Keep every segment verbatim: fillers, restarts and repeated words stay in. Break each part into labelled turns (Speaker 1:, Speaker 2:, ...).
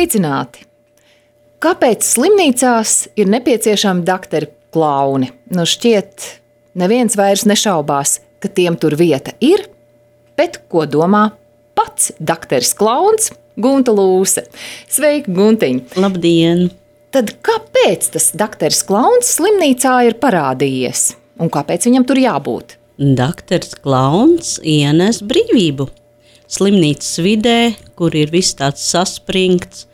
Speaker 1: Sveicināti! Kāpēc slimnīcās ir nepieciešami dakteri klauni? Nu šķiet, neviens vairs nešaubās, ka tiem tur vieta ir, bet ko domā pats dakteris klauns Gunta Lūse? Sveiki, Guntiņ!
Speaker 2: Labdien!
Speaker 1: Tad kāpēc tas dakteris klauns slimnīcā ir parādījies? Un kāpēc viņam tur jābūt?
Speaker 2: Dakteris klauns ienes brīvību. Slimnīcas vidē, kur ir viss tāds saspringts,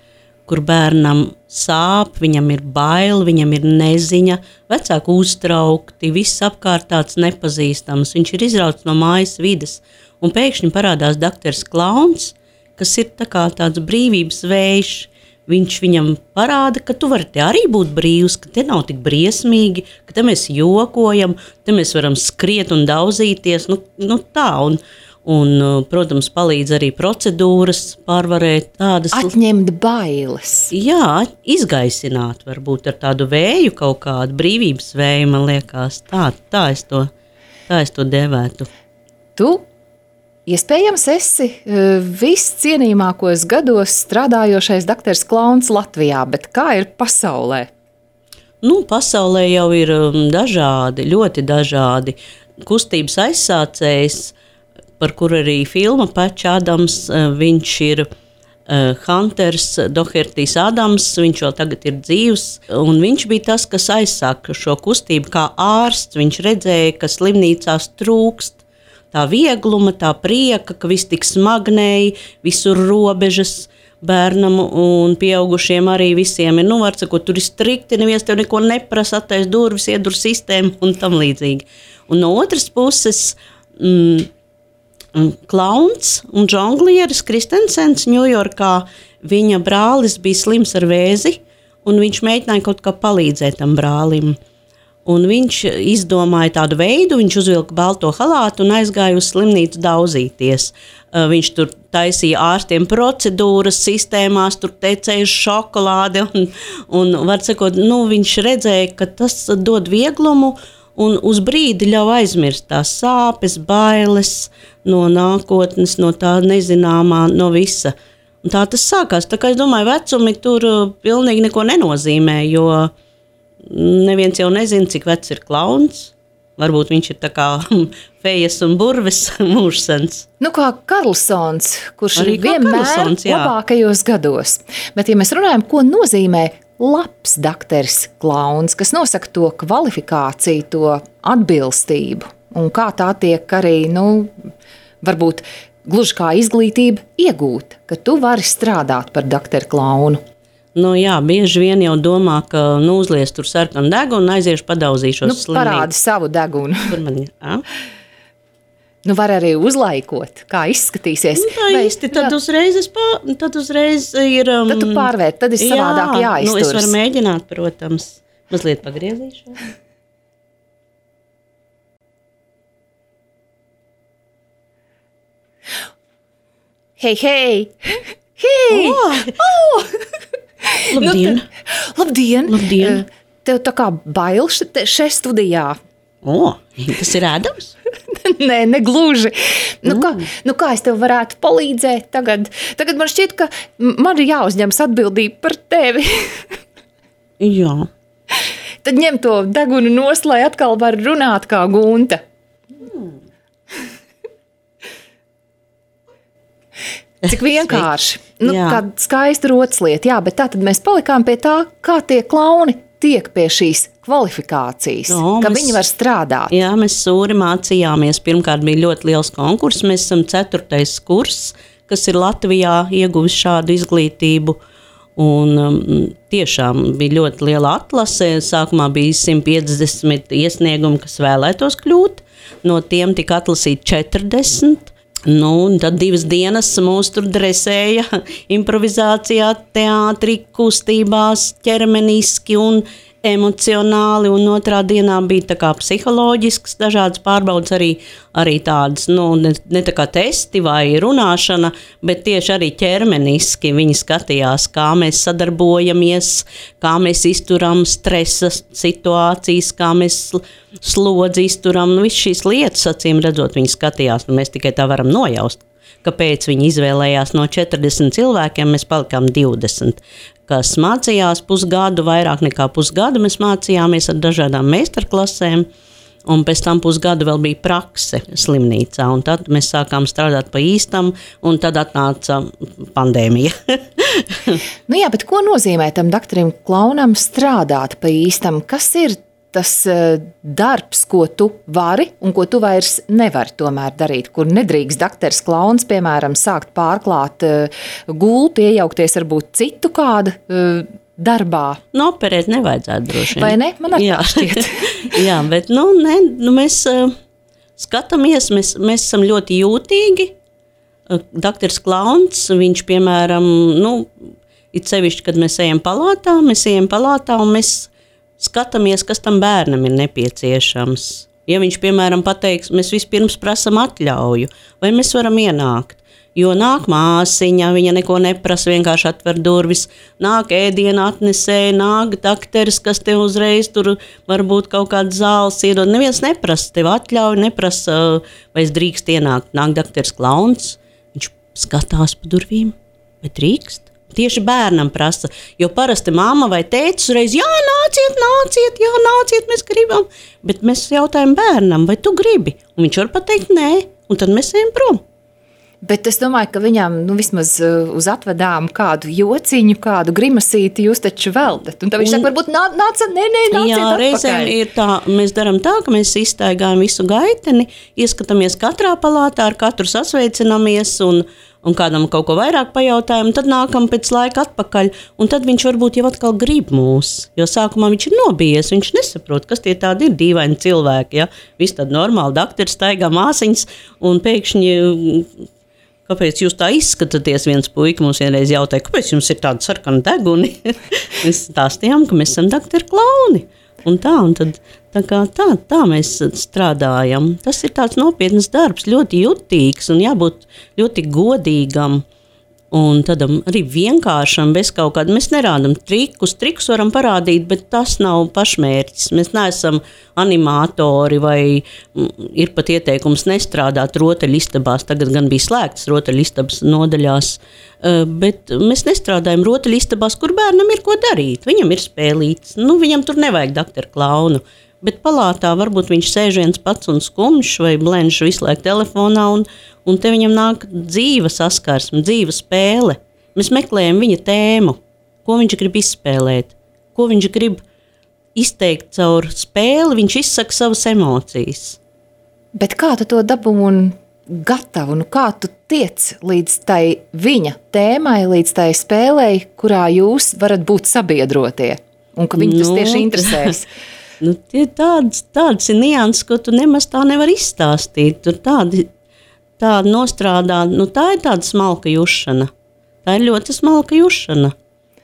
Speaker 2: kur bērnam sāp, viņam ir bail, viņam ir neziņa, vecāki uztraukti, viss apkārt tāds nepazīstams. Viņš ir izrauts no mājas vides, un pēkšņi parādās dakteris klauns, kas ir tā kā tāds brīvības vējš. Viņš viņam parāda, ka tu vari te arī būt brīvs, ka te nav tik briesmīgi, ka te mēs jokojam, te mēs varam skriet un daudzīties, nu, nu tā, un, un, protams, palīdz arī procedūras pārvarēt tādas.
Speaker 1: Atņemt bailes.
Speaker 2: Jā, izgaisināt varbūt ar tādu vēju kaut kādu, brīvības vēju, man liekas, tā, tā es to, tā es to devētu.
Speaker 1: Tu? Iespējams, esi viscienījamākos gados strādājošais dakteris klauns Latvijā, bet kā ir pasaulē?
Speaker 2: Nu, pasaulē jau ir dažādi, ļoti dažādi kustības aizsācējs, par kuru arī filma Patch Adams, viņš ir Hunters Dohertys Adams, viņš vēl tagad ir dzīvs, un viņš bija tas, kas aizsāka šo kustību kā ārsts. Viņš redzēja, ka slimnīcās trūkst tā viegluma, tā prieka, ka viss tik smagnēji, visur robežas bērnam un pieaugušiem arī visiem ir, nu, var sakot, tur ir strikti, neviens tev neko neprasa, attais durvis, iedur sistēmu un tam līdzīgi. Un no otras puses, mm, klauns un žonglieris Kristensens Ņujorkā, viņa brālis bija slims ar vēzi, un viņš mēģināja kaut kā palīdzēt tam brālim. Un viņš izdomāja tādu veidu, viņš uzvilka balto halātu un aizgāja uz slimnīcu daudzīties. Viņš tur taisīja ārstiem procedūras sistēmās, tur tecēja šokolādi un, un var sakot, nu, viņš redzēja, ka tas dod vieglumu un uz brīdi ļauj aizmirst tās sāpes, bailes no nākotnes, no tā nezināmā, no visa. Un tā tas sākās. Tā kā es domāju, vecumi tur pilnīgi neko nenozīmē, jo neviens jau nezina, cik vecs ir klauns. Varbūt viņš ir tā kā fejas un burves mūžsens.
Speaker 1: Nu kā Karlsons, kurš
Speaker 2: arī
Speaker 1: ir vienmēr
Speaker 2: Karlsons, jā.
Speaker 1: labākajos gados. Bet ja mēs runājam, ko nozīmē labs dakteris klauns, kas nosaka to kvalifikāciju, to atbilstību, un kā tā tiek arī, nu, varbūt gluži kā izglītība iegūt, ka tu vari strādāt par dakteru klaunu.
Speaker 2: Nu jā, bieži vien jau domā, ka nu, uzlies tur sarkanu degunu un aiziešu padauzīšos
Speaker 1: nu,
Speaker 2: slimnīcu.
Speaker 1: Parādi savu degunu.
Speaker 2: Kur man, a?
Speaker 1: Nu var arī uzlaikot, kā izskatīsies.
Speaker 2: Nu, tā
Speaker 1: Vai,
Speaker 2: īsti, tad jā. uzreiz, es pār, tad uzreiz ir... Um,
Speaker 1: tad tu pārvērt, tad ir savādāk
Speaker 2: jā,
Speaker 1: jāizturas.
Speaker 2: Nu, es varu mēģināt, protams, mazliet pagriezīšu.
Speaker 1: Hei, hei! Hei!
Speaker 2: Oh!
Speaker 1: Oh!
Speaker 2: Labdien!
Speaker 1: Nu, labdien!
Speaker 2: Labdien!
Speaker 1: Tev tā kā bail šeit studijā.
Speaker 2: O, oh, tas ir ēdams?
Speaker 1: Nē, negluži. Nu, mm. kā, nu kā es tev varētu palīdzēt tagad? Tagad man šķiet, ka man ir jāuzņemas atbildība par tevi.
Speaker 2: Jā.
Speaker 1: Tad ņem to degunu nost, lai atkal var runāt kā Gunta. Mm. Cik vienkārši. Nu, kāda skaista rotslieta, jā, bet tā tad mēs palikām pie tā, kā tie klauni tiek pie šīs kvalifikācijas, no, ka mēs, viņi var strādāt.
Speaker 2: Jā, mēs sūri mācījāmies. Pirmkārt bija ļoti liels konkurss. Mēs esam ceturtais kurs, kas ir Latvijā ieguvis šādu izglītību. Un um, tiešām bija ļoti liela atlase. Sākumā bija simt piecdesmit iesniegumi, kas vēlētos kļūt. No tiem tika atlasīt četrdesmit. Nu, un tad divas dienas mūs tur dresēja improvizācijā, teātrī, kustībās, ķermeniski un emocionāli, un otrā dienā bija tā kā psiholoģisks dažādas pārbaudas, arī, arī tādas, nu, ne, ne tā kā testi vai runāšana, bet tieši arī ķermeniski viņi skatījās, kā mēs sadarbojamies, kā mēs izturam stresa situācijas, kā mēs slodzi izturam, nu, viss šīs lietas, acīm redzot, viņi skatījās, un mēs tikai tā varam nojaust, kāpēc viņi izvēlējās no četrdesmit cilvēkiem, mēs palikām divdesmit, kas mācījās pusgadu, vairāk nekā pusgadu mēs mācījāmies ar dažādām meistarklasēm, un pēc tam pusgadu vēl bija prakse slimnīcā, un tad mēs sākām strādāt pa īstam, un tad atnāca pandēmija.
Speaker 1: Nu jā, bet ko nozīmē tam doktoram Klaunam strādāt pa īstam? Kas ir tas darbs, ko tu vari un ko tu vairs nevari tomēr darīt, kur nedrīkst doktors Klauns, piemēram, sākt pārklāt gultu, iejaukties varbūt citu kādu darbā?
Speaker 2: Nu, operēt nevajadzētu droši vien.
Speaker 1: Vai ne? Man arī tā šķiet.
Speaker 2: Jā, bet nu, ne, nu, mēs uh, skatāmies, mēs, mēs esam ļoti jūtīgi. Uh, doktors Klauns, viņš, piemēram, nu, it sevišķi, kad mēs ejam palātā, mēs ejam palātā un mēs skatāmies, kas tam bērnam ir nepieciešams. Ja viņš, piemēram, pateiks, mēs vispirms prasam atļauju, vai mēs varam ienākt. Jo nāk māsiņa, viņa neko neprasa, vienkārši atver durvis, nāk ēdiena atnesēja, nāk dakteris, kas tev uzreiz tur varbūt kaut kāds zāles iedod. Neviens neprasa, tev atļauj, neprasa, vai es drīkst ienākt. Nāk dakteris Klauns, viņš skatās pa durvīm, vai drīkst? Tieši bērnam prasa, jo parasti mamma vai tētis uzreiz, jā, nāciet, nāciet, jā, nāciet, mēs gribam. Bet mēs jautājam bērnam, vai tu gribi? Un viņš var pateikt nē, un tad mēs ejam prom.
Speaker 1: Bet es domāju, ka viņam nu, vismaz uz atvedām kādu jociņu, kādu grimasīti jūs taču veldat. Un tad viņš un, saka, varbūt nā, nāca, nē, nē, nāciet
Speaker 2: jā,
Speaker 1: atpakaļ.
Speaker 2: Reizēm ir tā, mēs darām tā, ka mēs izstaigājam visu gaiteni, ieskatāmies katrā palātā, ar katru sasveicinamies un, un kādam kaut ko vairāk pajautājam, tad nākam pēc laika atpakaļ, un tad viņš varbūt jau atkal grib mūs, jo sākumā viņš ir nobijies, viņš nesaprot, kas tie tādi ir dīvaini cilvēki, ja? Viss tad normāli, dakteris staigā māsiņas, un pēkšņi... Kāpēc jūs tā izskatāties? Viens puika mums vienreiz jautāja, kāpēc jums ir tāda sarkana deguni? Mēs stāstījām, ka mēs esam doktori Klauni. Un tā, un tad, tā, kā tā, tā mēs strādājam. Tas ir tāds nopietnas darbs, ļoti jutīgs un jābūt ļoti godīgam. Un tādam arī vienkāršam, bez kaut kāda, mēs nerādam trikus, trikus varam parādīt, bet tas nav pašmērķis. Mēs neesam animatori vai ir pat ieteikums nestrādāt rotaļistabās, tagad gan bija slēgtas rotaļistabas nodaļās, bet mēs nestrādājam rotaļistabās, kur bērnam ir ko darīt. Viņam ir spēlīts, nu viņam tur nevajag doktoru Klaunu. Bet palātā varbūt viņš sēž viens pats un skumjš vai blenž visu laiku telefonā, un, un te viņam nāk dzīva saskarsme, dzīva spēle. Mēs meklējam viņa tēmu, ko viņš grib izspēlēt, ko viņš grib izteikt caur spēli, viņš izsaka savas emocijas.
Speaker 1: Bet kā tu to dabūni gatavu, nu kā tu tiec līdz tai viņa tēmai, līdz tai spēlei, kurā jūs varat būt sabiedrotie, un ka viņi tas nu, tieši interesēs?
Speaker 2: Nu, tie tādas, tādas ir nianses, ko tu nemaz tā nevar izstāstīt. Tur tādi, tādi nostrādā, nu tā ir tāda smalka jušana. Tā ir ļoti smalka jušana.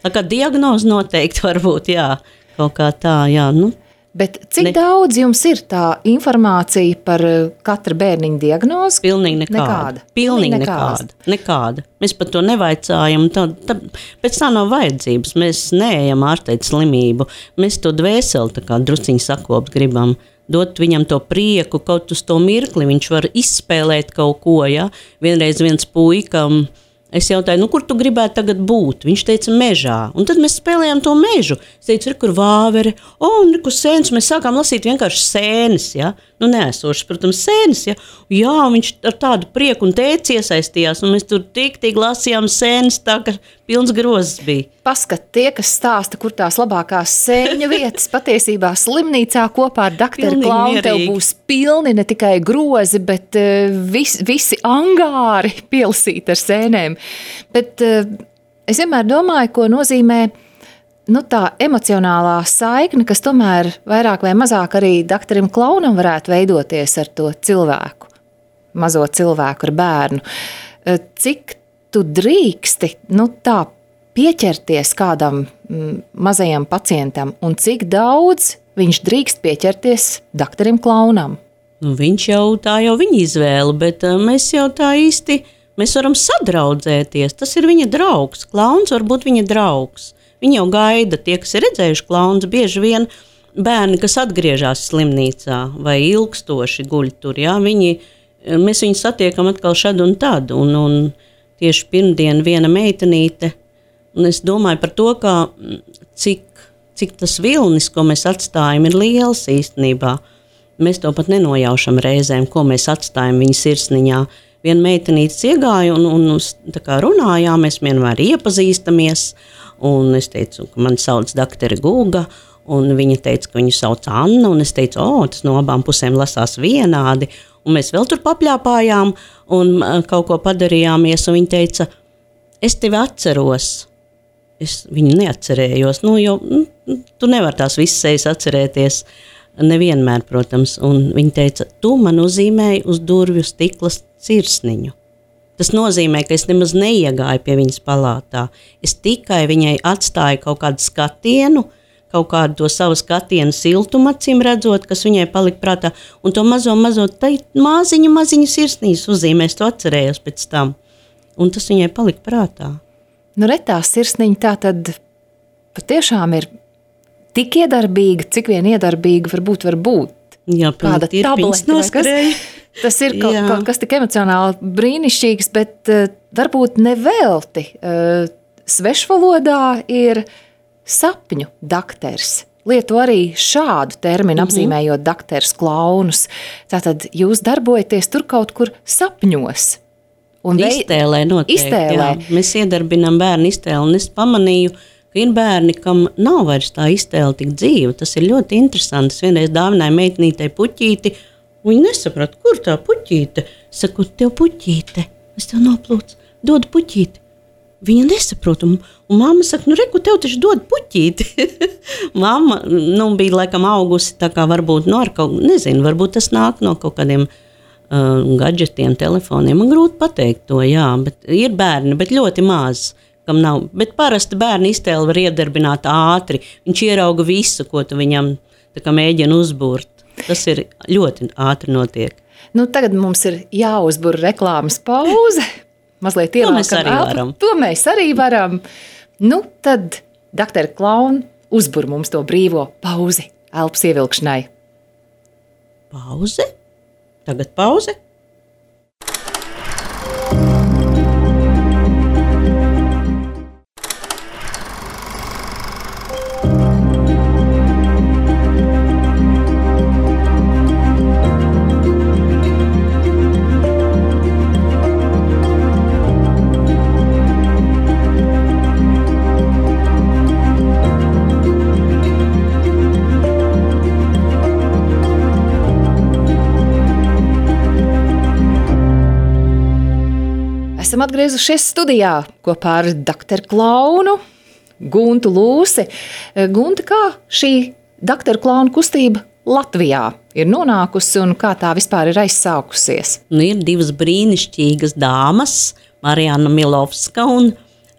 Speaker 2: Tā kā diagnoze noteikti varbūt, jā, kaut kā tā, jā, nu.
Speaker 1: Bet cik
Speaker 2: ne...
Speaker 1: daudz jums ir tā informācija par katra bērniņa diagnozi?
Speaker 2: Pilnīgi nekāda.
Speaker 1: Nekāda.
Speaker 2: Pilnīgi nekāda. nekāda. Mēs par to nevaicājam. Tā, tā, pēc tā nav vajadzības. Mēs neejam ārstēt slimību. Mēs to dvēseli tā kā drusciņi sakopt gribam. Dot viņam to prieku, kaut uz to mirkli. Viņš var izspēlēt kaut ko, ja? Vienreiz viens puikam. Es jautāju, nu, kur tu gribētu tagad būt? Viņš teica, mežā. Un tad mēs spēlējām to mežu. Es teicu, kur vāveri, o, un kur sēnes. Mēs sākām lasīt vienkārši sēnes, ja? Nu, neesošas, protams, sēnes, ja? Jā, viņš ar tādu prieku un tēci iesaistījās, un mēs tur tik, tik lasījām sēnes, tā, ka pilns grozs bija.
Speaker 1: Paskat, tie, kas stāsta, kur tās labākās sēņu vietas, patiesībā slimnīcā kopā ar doktoru Klaunu tev būs pilni ne tikai grozi, bet uh, vis, visi angāri pielasīti ar sēnēm. Bet uh, es vienmēr domāju, ko nozīmē nu, tā emocionālā saikne, kas tomēr vairāk vai mazāk arī doktoram Klaunam varētu veidoties ar to cilvēku, mazo cilvēku ar bērnu. Uh, cik tu drīksti, nu tā, pieķerties kādam mm, mazajam pacientam, un cik daudz viņš drīkst pieķerties doktoram Klaunam?
Speaker 2: Nu, viņš jau tā jau viņa izvēle, bet uh, mēs jau tā īsti, mēs varam sadraudzēties. Tas ir viņa draugs. Klauns var būt viņa draugs. Viņi jau gaida, tie, kas ir redzējuši klaunus, bieži vien bērni, kas atgriežas slimnīcā vai ilgstoši guļ tur, jā, viņi mēs viņu satiekam atkal šad un tad, un, un tieši pirmdien viena meitenīte, un es domāju par to, kā, cik, cik tas vilnis, ko mēs atstājam, ir liels īstenībā. Mēs to pat nenojaušam reizēm, ko mēs atstājam viņa sirsniņā. Viena meitenītes iegāja un, un tā kā runājām, mēs vienmēr iepazīstamies, un es teicu, ka man sauc doktere Guga, un viņa teica, ka viņu sauc Anna, un es teicu, o, tas no abām pusēm lasās vienādi, un mēs vēl tur papļāpājām, un kaut ko padarījāmies, un viņa teica, es tevi atceros. Es viņu neatcerējos, nu, jo nu, tu nevar tās visas sejas atcerēties, nevienmēr, protams, un viņa teica, tu man uzzīmēji uz durvju stiklas sirsniņu. Tas nozīmē, ka es nemaz neiegāju pie viņas palātā. Es tikai viņai atstāju kaut kādu skatienu, kaut kādu to savu skatienu siltumu acīm redzot, kas viņai palika prātā, un to mazo, mazo, tai maziņu, maziņu sirsnīs uzzīmēs, to atcerējos pēc tam. Un tas viņai palika prātā.
Speaker 1: Nu, retā sirsniņa tā tad patiešām ir tik iedarbīga, cik vien iedarbīga varbūt var būt.
Speaker 2: Jā,
Speaker 1: kāda tablete vai kas. Tas ir kaut, kaut kas tik emocionāli brīnišķīgs, bet uh, varbūt nevelti. Uh, svešvalodā ir sapņu dakters. Lieto arī šādu terminu, mm-hmm. apzīmējot dakters klaunus. Tātad jūs darbojaties tur kaut kur sapņos.
Speaker 2: Un iztēlē noteikti. Iztēlē. Jā. Mēs iedarbinām bērnu iztēli, un es pamanīju, ka ir bērni, kam nav vairs tā iztēle tik dzīva. Tas ir ļoti interesanti. Es vienreiz dāvināju meitnītei puķīti, un viņi nesaprata, kur tā puķīte. Es saku, tev puķīte, es tev noplūcu, dod puķīti. Viņa nesaprot, un, un mamma saka, nu reku, tev taču dod puķīti. Mamma, nu, bija laikam augusi, tā kā varbūt, nu, ar kaut, nezinu, varbūt tas nāk no kaut kādiem uh, gadžetiem, telefoniem. Man grūti pateikt to, jā, bet ir bērni, bet ļoti maz, kam nav. Bet parasti bērni iztēli var iedarbināt ātri. Viņš ierauga visu, ko tu viņam tā kā mēģina uzbūrt. Tas ir ļoti ātri notiek.
Speaker 1: Nu, tagad mums ir jāuzbur reklāmas pauze. Mazliet
Speaker 2: to mēs arī elpu. varam.
Speaker 1: To mēs arī varam. Nu, tad, doktori Klauni, uzbur mums to brīvo pauzi elpas ievilkšanai.
Speaker 2: Pauze? Tagad pauze?
Speaker 1: Esam atgriezušies studijā kopā ar doktoru Klaunu, Guntu Lūsi. Gunta, kā šī doktoru Klaunu kustība Latvijā ir nonākusi un kā tā vispār ir aizsākusies?
Speaker 2: Nu, ir divas brīnišķīgas dāmas, Marijana Milovska un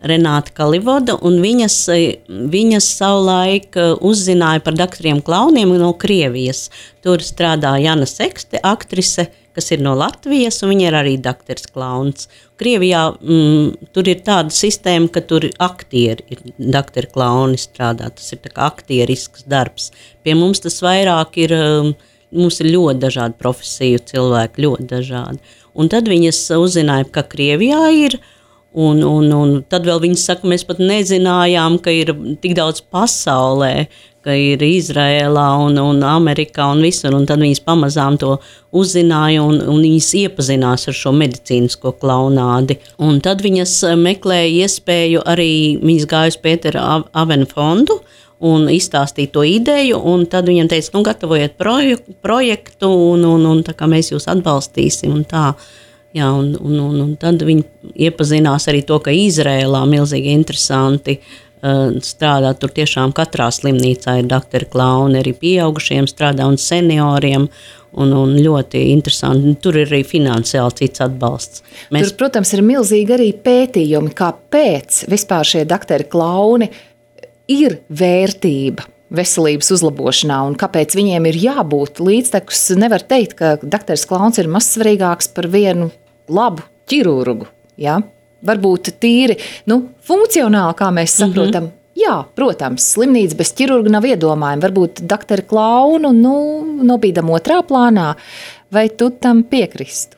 Speaker 2: Renāta Kalivoda, un viņas, viņas savulaik uzzināja par doktoriem Klauniem no Krievijas. Tur strādā Jana Sekste, aktrise, kas ir no Latvijas, un viņa ir arī doktors Klauns. Krievijā mm, tur ir tāda sistēma, ka tur aktieri ir doktori Klauni strādā. Tas ir tā kā aktierisks darbs. Pie mums tas vairāk ir, mums ir ļoti dažādi profesiju cilvēki, ļoti dažādi. Un tad viņas uzzināja, ka Krievijā ir, un, un, un tad vēl viņas saka, mēs pat nezinājām, ka ir tik daudz pasaulē, ka ir Izrēlā un, un Amerikā un visur, un tad viņas pamazām to uzzināja un, un viņas iepazinās ar šo medicīnisko klaunādi. Un tad viņas meklēja iespēju arī, viņas gāja uz Pētera Avena fondu un izstāstīja to ideju, un tad viņam teica, nu gatavojiet projektu, projektu un, un, un tā kā mēs jūs atbalstīsim un tā. Jā, un, un, un, un tad viņi iepazinās arī to, ka Izrēlā milzīgi interesanti uh, strādā. Tur tiešām katrā slimnīcā ir doktori Klauni, arī pieaugušiem strādā un senioriem. Un, un ļoti interesanti. Tur ir arī finansiāli cits atbalsts.
Speaker 1: Mēs... Tur, protams, ir milzīgi arī pētījumi, kāpēc vispār šie doktori Klauni ir vērtība veselības uzlabošanā un kāpēc viņiem ir jābūt līdztekus. Nevar teikt, ka doktors Klauns ir mazsvarīgāks par vienu labu ķirurgu. Ja? Varbūt tīri nu, funkcionāli, kā mēs saprotam. Mm-hmm. Jā, protams, slimnīca bez ķirurga nav iedomājama. Varbūt doktori Klaunu nu, nobīdam otrā plānā. Vai tu tam piekristu?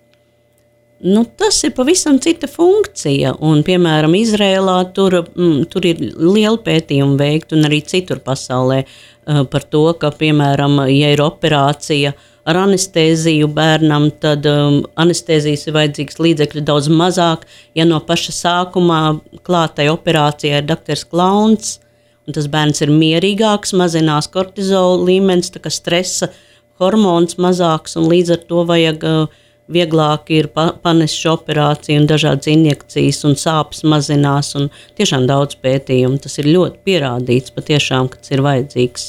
Speaker 2: Nu, tas ir pavisam cita funkcija, un, piemēram, Izrēlā tur, mm, tur ir liela pētījuma veikta, un arī citur pasaulē uh, par to, ka, piemēram, ja ir operācija ar anestēziju bērnam, tad um, anestēzijas ir vajadzīgs līdzekļu daudz mazāk, ja no paša sākumā klātai operācijai ir doktors Klauns, un tas bērns ir mierīgāks, mazinās kortizola līmenis, tā kā stresa hormons mazāks, un līdz ar to vajag uh, vieglāk ir panešu operācija un dažādas injekcijas un sāpes mazinās un tiešām daudz pētījumu. Tas ir ļoti pierādīts patiešām, ka tas ir vajadzīgs.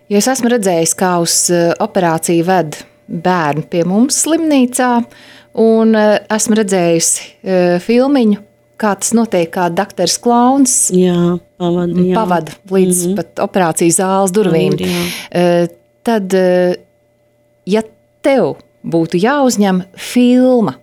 Speaker 1: Jo es esmu redzējis, kā uz operāciju ved bērnu pie mums slimnīcā un esmu redzējusi filmiņu, kā tas notiek, kā doktors Klauns
Speaker 2: jā, pavada, jā.
Speaker 1: pavada līdz mm-hmm. pat operācijas zāles durvīm. Jā. Tad, ja tev būtu jāuzņem filma,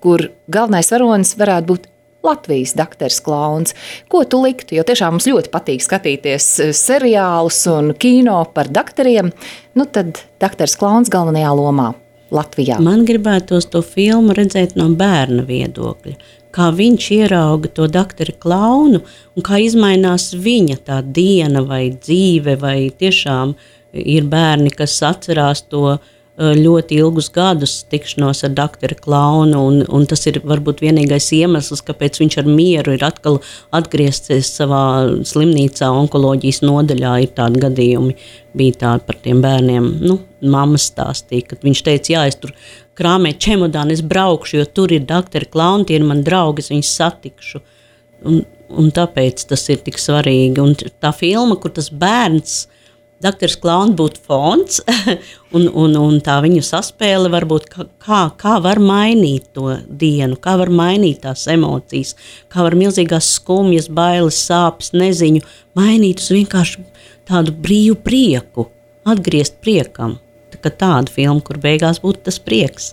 Speaker 1: kur galvenais varonis varētu būt Latvijas doktors Klauns. Ko tu liktu? Jo tiešām mums ļoti patīk skatīties seriālus un kino par doktoriem. Nu tad doktors Klauns galvenajā lomā Latvijā.
Speaker 2: Man gribētos to filmu redzēt no bērna viedokļa. Kā viņš ierauga to doktoru Klaunu un kā izmainās viņa tā diena vai dzīve vai tiešām ir bērni, kas atcerās to ļoti ilgus gadus tikšanos ar doktoru Klaunu, un, un tas ir varbūt vienīgais iemesls, kāpēc viņš ar mieru ir atkal atgriezties savā slimnīcā, onkoloģijas nodaļā. Ir tādi gadījumi, bija tādi par tiem bērniem. Nu, mamma stāstīja, kad viņš teica, jā, es tur krāmēju čemodānu, es braukšu, jo tur ir doktori Klauni, tie ir mani draugi, es viņus satikšu. Un, un tāpēc tas ir tik svarīgi. Un tā filma, kur tas bērns, doktors Klauns būtu fons, un, un, un tā viņu saspēle varbūt, kā, kā var mainīt to dienu, kā var mainīt tās emocijas, kā var milzīgās skumjas, bailes, sāpes, neziņu mainīt uz vienkārši tādu brīvu prieku, atgriezt priekam. Tā kā tāda filma, kur beigās būtu tas prieks.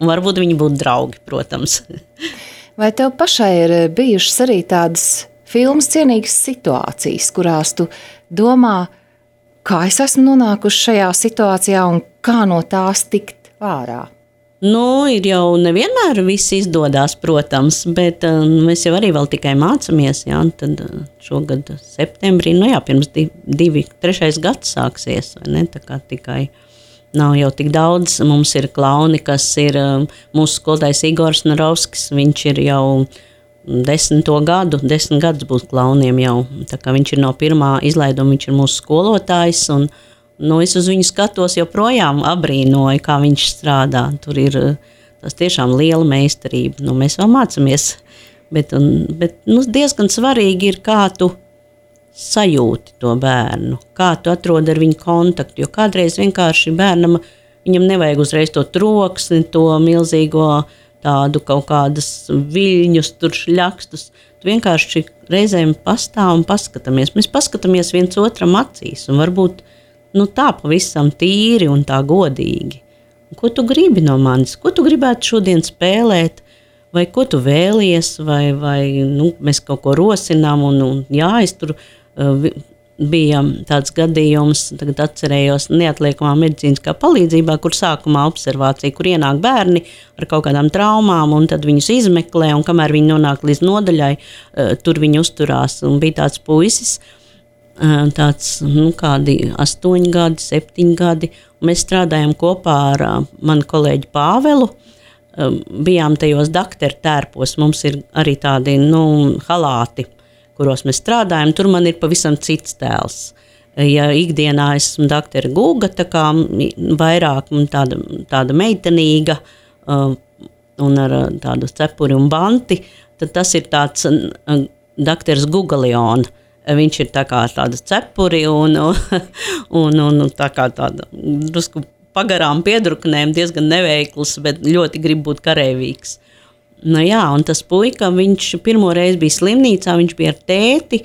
Speaker 2: Un varbūt viņi būtu draugi, protams.
Speaker 1: Vai tev pašai ir bijušas arī tādas filmas cienīgas situācijas, kurās tu domā, kā es esmu nonākusi šajā situācijā un kā no tās tikt ārā?
Speaker 2: Nu, ir jau nevienmēr viss izdodās, protams, bet uh, mēs jau arī vēl tikai mācamies, jā, tad uh, šogad septembrī, nu jā, pirms divi, divi trešais gads sāksies, vai ne, tā kā tikai nav jau tik daudz. Mums ir klauni, kas ir uh, mūsu skolotājs Igors Narovskis, viņš ir jau desmito gadu, desmit gadus būs klauniem jau, tā kā viņš ir no pirmā izlaiduma, viņš ir mūsu skolotājs, un nu, es uz viņu skatos joprojām abrīnoju, kā viņš strādā. Tur ir tas tiešām liela meistarība, nu, mēs vēl mācamies, bet, un, bet nu, diezgan svarīgi ir, kā tu sajūti to bērnu, kā tu atrodi ar viņu kontaktu, jo kādreiz vienkārši bērnam, viņam nevajag uzreiz to troksni, to milzīgo tādu kaut kādas viļņus, tur šļakstus. Tu vienkārši reizēm pastāv un paskatāmies. Mēs paskatāmies viens otram acīs un varbūt nu, tā pavisam tīri un tā godīgi. Ko tu gribi no manis? Ko tu gribētu šodien spēlēt? Vai ko tu vēlies? Vai, vai nu, mēs kaut ko rosinām? Un, un, jā, es tur uh, bija tāds gadījums, tagad atcerējos neatliekamā medicīniskā palīdzībā, kur sākumā observācija, kur ienāk bērni ar kaut kādām traumām, un tad viņus izmeklē, un kamēr viņi nonāk līdz nodaļai, tur viņi uzturās. Un bija tāds puisis, tāds, nu, kādi astoņi gadi, septiņi gadi, un mēs strādājam kopā ar manu kolēģi Pāvelu, bijām tajos dakteru tērpos, mums ir arī tādi, nu, halāti, kuros mēs strādājam, tur man ir pavisam cits tēls. Ja ikdienā esmu doktora Guga, tā kā vairāk tāda, tāda meitenīga uh, un ar tādu cepuri un banti, tad tas ir tāds uh, doktors Gugaliona. Viņš ir tā kā tāda cepuri un, un, un tā kā tāda drusku pagarām piedruknēm, diezgan neveikls, bet ļoti grib būt kareivīgs. Nu jā, un tas puika, viņš pirmo reizi bija slimnīcā, viņš bija ar tēti,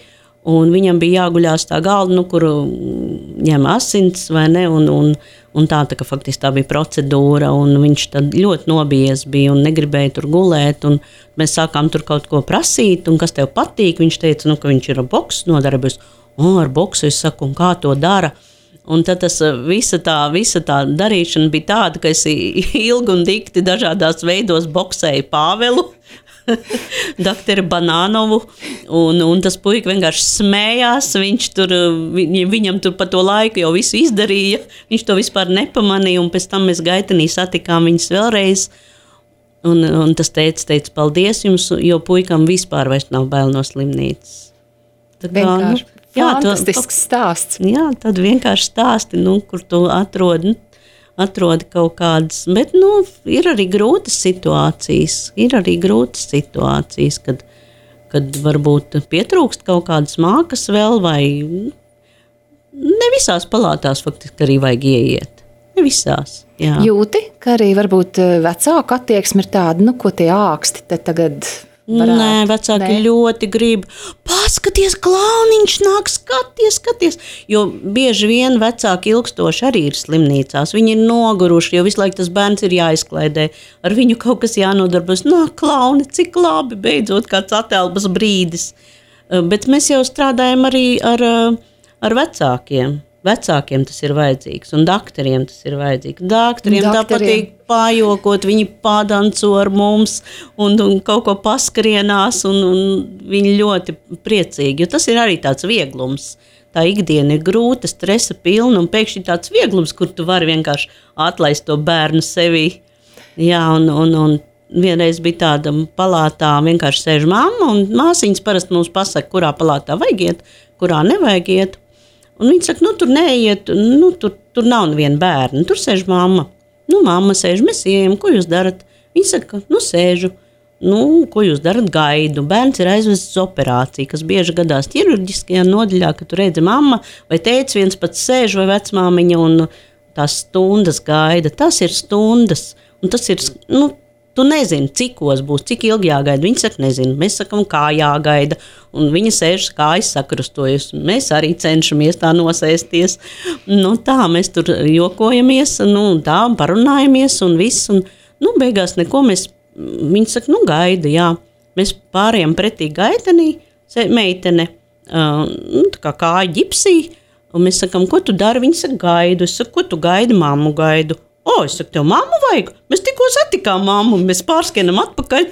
Speaker 2: un viņam bija jāguļās tā galda, nu, kur ņem asins, vai ne, un, un, un tā, tā, ka faktiski tā bija procedūra, un viņš tad ļoti nobijies bija un negribēja tur gulēt, un mēs sākām tur kaut ko prasīt, un kas tev patīk, viņš teica, nu, ka viņš ir ar boksu nodarbojas, o, ar boksu, es saku, un kā to dara, Un tad tas visa tā, visa tā darīšana bija tāda, ka es ilgi un dikti dažādās veidos boksēju Pāvelu, doktoru Banānovu, un, un tas puika vienkārši smējās, viņš tur, viņ, viņam tur pa to laiku jau visu izdarīja, viņš to vispār nepamanīja, un pēc tam mēs Gaitenī satikām viņus vēlreiz, un, un tas teica, teica, paldies jums, jo puikam vispār vairs nav bail no slimnīcas. Tā kā,
Speaker 1: vienkārši
Speaker 2: nu, jā,
Speaker 1: fantastisks
Speaker 2: to,
Speaker 1: stāsts.
Speaker 2: Jā, tad vienkārši stāsti, nu, kur tu atrodi, atrodi kaut kādas, bet, nu, ir arī grūtas situācijas, ir arī grūtas situācijas, kad, kad varbūt pietrūkst kaut kādas mākas vēl, vai ne visās palātās faktiski arī vajag ieiet, ne visās, jā.
Speaker 1: Jūti, ka arī varbūt vecāku attieksme ir tāda, nu, ko tie āksti te tagad varētu?
Speaker 2: Nē, vecāki Nē. ļoti grib, paskaties, klauniņš nāk, skaties, skaties, jo bieži vien vecāki ilgstoši arī ir slimnīcās, viņi ir noguruši, jo visu laiku tas bērns ir jāizklaidē, ar viņu kaut kas jānodarbas, nā, klauni, cik labi, beidzot kāds atelpas brīdis, bet mēs jau strādājam arī ar, ar vecākiem. Vecākiem tas ir vajadzīgs, un dakteriem tas ir vajadzīgs. Dakteriem tā patīk pājokot, viņi padanco ar mums un, un kaut ko paskrienās, un, un viņi ļoti priecīgi, jo tas ir arī tāds vieglums. Tā ikdiena ir grūta, stresa pilna, un pēkšņi tāds vieglums, kur tu vari vienkārši atlaist to bērnu sevī. Jā, un, un, un vienreiz bija tāda palātā, vienkārši sēž mamma, un māsiņas parasti mums pasaka, kurā palātā vajag iet, kurā nevajag iet. Un viņi saka, nu, tur neiet, nu, tur, tur nav neviena bērna, tur sēž mamma. Nu, mamma sēž, mēs ejam, ko jūs darat? Viņi saka, nu, sēžu. Nu, ko jūs darat? Gaidu. Bērns ir aizvests uz operāciju, kas bieži gadās ķirurģiskajā nodaļā, ka tu redzi mamma vai tēvs viens pats sēž vai vecmāmiņa un tās stundas gaida. Tas ir stundas, un tas ir, nu, tu nezini, cikos būs, cik ilgi jāgaida. Viņi saka, nezinu, mēs sakam, kā jāgaida, un viņa sēž kājas sakrustojas. Mēs arī cenšamies tā nosēsties. Nu, tā, mēs tur jokojamies, nu, tā, parunājamies un viss, un, nu, beigās neko mēs, viņi saka, nu, gaida, jā. Mēs pārējām pretī Gaitenī, meitene, uh, nu, tā kā kāja ģipsī, un mēs sakam, ko tu dari? Viņi saka, gaidu. Es saku, ko tu gaidi? Mammu gaidu. O, es saku, tev mammu vajag? Mēs tikko satikām mammu, mēs pārskienam atpakaļ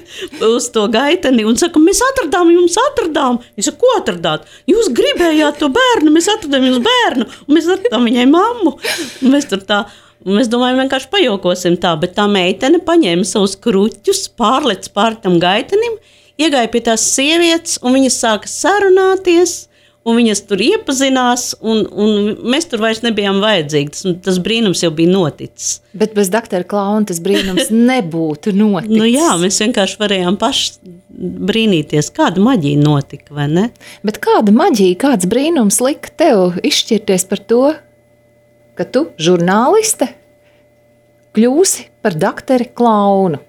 Speaker 2: uz to Gaiteni un sakam, mēs atradām, jums atradām. Viņi saka, ko atradāt? Jūs gribējāt to bērnu, mēs atradām jums bērnu, un mēs atradām viņai mammu. Un mēs tur tā, mēs domājam, vienkārši pajokosim tā, bet tā meitene paņēma savus kruķus, pārlec pār tam Gaitenim, iegāja pie tās sievietes, un viņas sāka sarunāties, un viņas tur iepazinās, un, un mēs tur vairs nebijām vajadzīgi. Tas, tas brīnums jau bija noticis.
Speaker 1: Bet bez doktora Klauna tas brīnums nebūtu noticis.
Speaker 2: Nu jā, mēs vienkārši varējām paši brīnīties, kāda maģija notika, vai ne?
Speaker 1: Bet kāda maģija, kāds brīnums lika tev izšķirties par to, ka tu, žurnāliste, kļūsi par doktori Klaunu?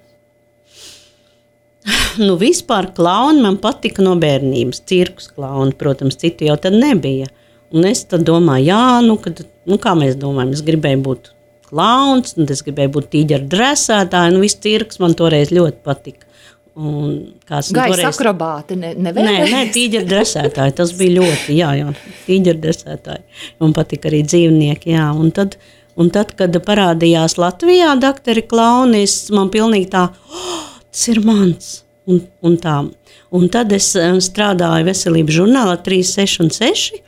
Speaker 2: Nu, vispār klauni man patika no bērnības, cirkus klauni, protams, citu jau tad nebija. Un es tad domāju, jā, nu, kad, nu kā mēs domājam, es gribēju būt klauns, un es gribēju būt tīģeru dresētāji, nu, viss cirks man toreiz ļoti patika. Un, kāds,
Speaker 1: Gaisa
Speaker 2: toreiz...
Speaker 1: akrobāti, ne, nevēlējies?
Speaker 2: Nē, nē, tīģeru dresētāji, tas bija ļoti, jā, jā, tīģeru dresētāji. Man patika arī dzīvnieki, jā, un tad, un tad kad parādījās Latvijā doktori klauni, man pilnīgi tā, oh, tas ir mans, un, un tā. Un tad es strādāju veselības žurnālā trīs, seši un seši,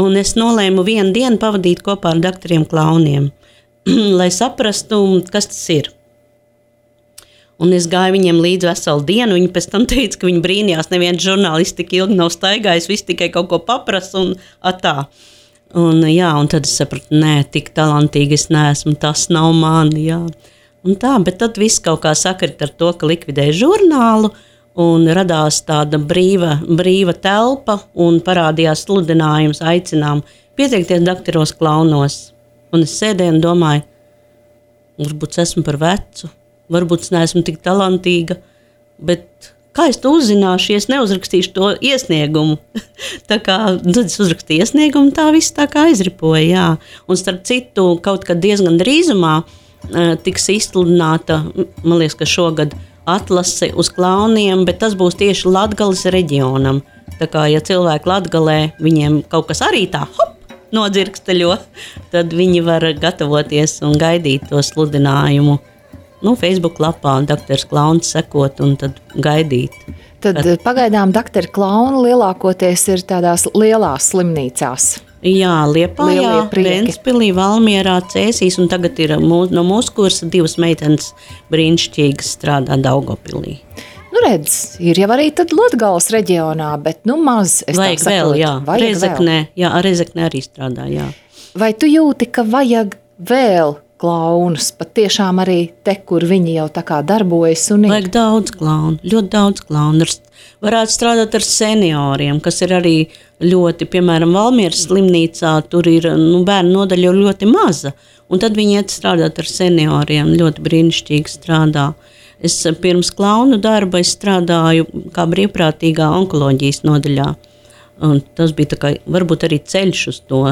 Speaker 2: un es nolēmu vienu dienu pavadīt kopā ar doktoriem klauniem, lai saprastu, kas tas ir. Un es gāju viņiem līdz veselu dienu, viņi pēc tam teica, ka viņi brīnījās, neviens žurnālists tik ilgi nav staigājis, viss tikai kaut ko paprasa un atā. Un jā, un tad es sapratu, nē, tik talantīgi es neesmu, tas nav mani, jā. Un tā, bet tad viss kaut kā sakrit ar to, ka likvidēja žurnālu un radās tāda brīva, brīva telpa un parādījās sludinājums, aicinām pieteikties doktoros klaunos. Un es sēdēju un domāju, varbūt es esmu par vecu, varbūt es neesmu tik talantīga, bet kā es to uzzināšu, ja es neuzrakstīšu to iesniegumu? Tā kā, tad es uzrakstīju iesniegumu, tā viss tā kā aizripoja, jā. Un starp citu, kaut kad diezgan drīzumā tiks izsludināta, man liekas, ka šogad atlase uz klauniem, bet tas būs tieši Latgales reģionam. Tā kā, ja cilvēki Latgalē, viņiem kaut kas arī tā, hop, nodzirksteļo, tad viņi var gatavoties un gaidīt to sludinājumu. Nu, Facebook lapā doktors Klauns sekot un tad gaidīt.
Speaker 1: Tad Kad... pagaidām doktori Klauni lielākoties ir tādās lielās slimnīcās.
Speaker 2: Jā, Liepājā, Ventspilī, Valmierā, Cēsīs, un tagad ir mūs, no mūsu kursa divas meitenes brīnišķīgas strādā Daugavpilī.
Speaker 1: Nu redz, ir jau arī tad Latgales reģionā, bet nu maz, es
Speaker 2: vajag
Speaker 1: tā saprotu.
Speaker 2: Vēl, jā.
Speaker 1: Vajag
Speaker 2: Rezeknē,
Speaker 1: vēl.
Speaker 2: Jā, Rezeknē arī strādā, jā.
Speaker 1: Vai tu jūti, ka vajag vēl klaunus, pat tiešām arī te, kur viņi jau tā kā darbojas un ir?
Speaker 2: Vajag daudz klaunu, ļoti daudz klaunu. Varētu strādāt ar senioriem, kas ir arī ļoti, piemēram, Valmieras slimnīcā, tur ir nu, bērnu nodaļa ļoti maza, un tad viņi iet strādāt ar senioriem, ļoti brīnišķīgi strādā. Es pirms klaunu darba es strādāju kā brīvprātīgā onkoloģijas nodaļā, un tas bija tā kā, varbūt arī ceļš uz to,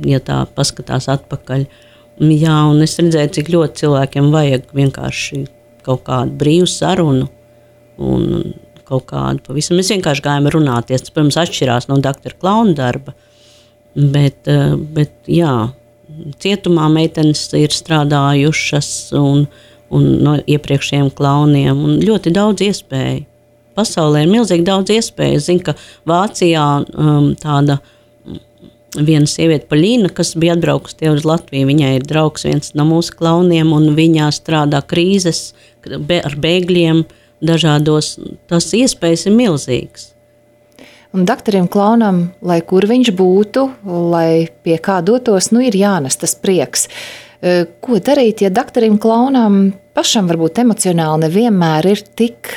Speaker 2: ja tā paskatās atpakaļ. Jā, un es redzēju, cik ļoti cilvēkiem vajag vienkārši kaut kādu brīvu sarunu un kaut kādu pavisam. Mēs vienkārši gājām runāties, tas, protams, atšķirās no doktora Klauna darba, bet, bet jā, cietumā meitenes ir strādājušas un, un no iepriekšējiem klauniem un ļoti daudz iespēju. Pasaulē ir milzīgi daudz iespēju. Es zinu, ka Vācijā um, tāda viena sieviete Paļina, kas bija atbraukusi tie uz Latviju, viņai ir draugs viens no mūsu klauniem, un viņā strādā krīzes ar bēgļiem dažādos, tas iespējas ir milzīgas.
Speaker 1: Un doktoram Klaunam, lai kur viņš būtu, lai pie kā dotos, nu ir jānes tas prieks. Ko darīt, ja doktoram Klaunam pašam varbūt emocionāli nevienmēr ir tik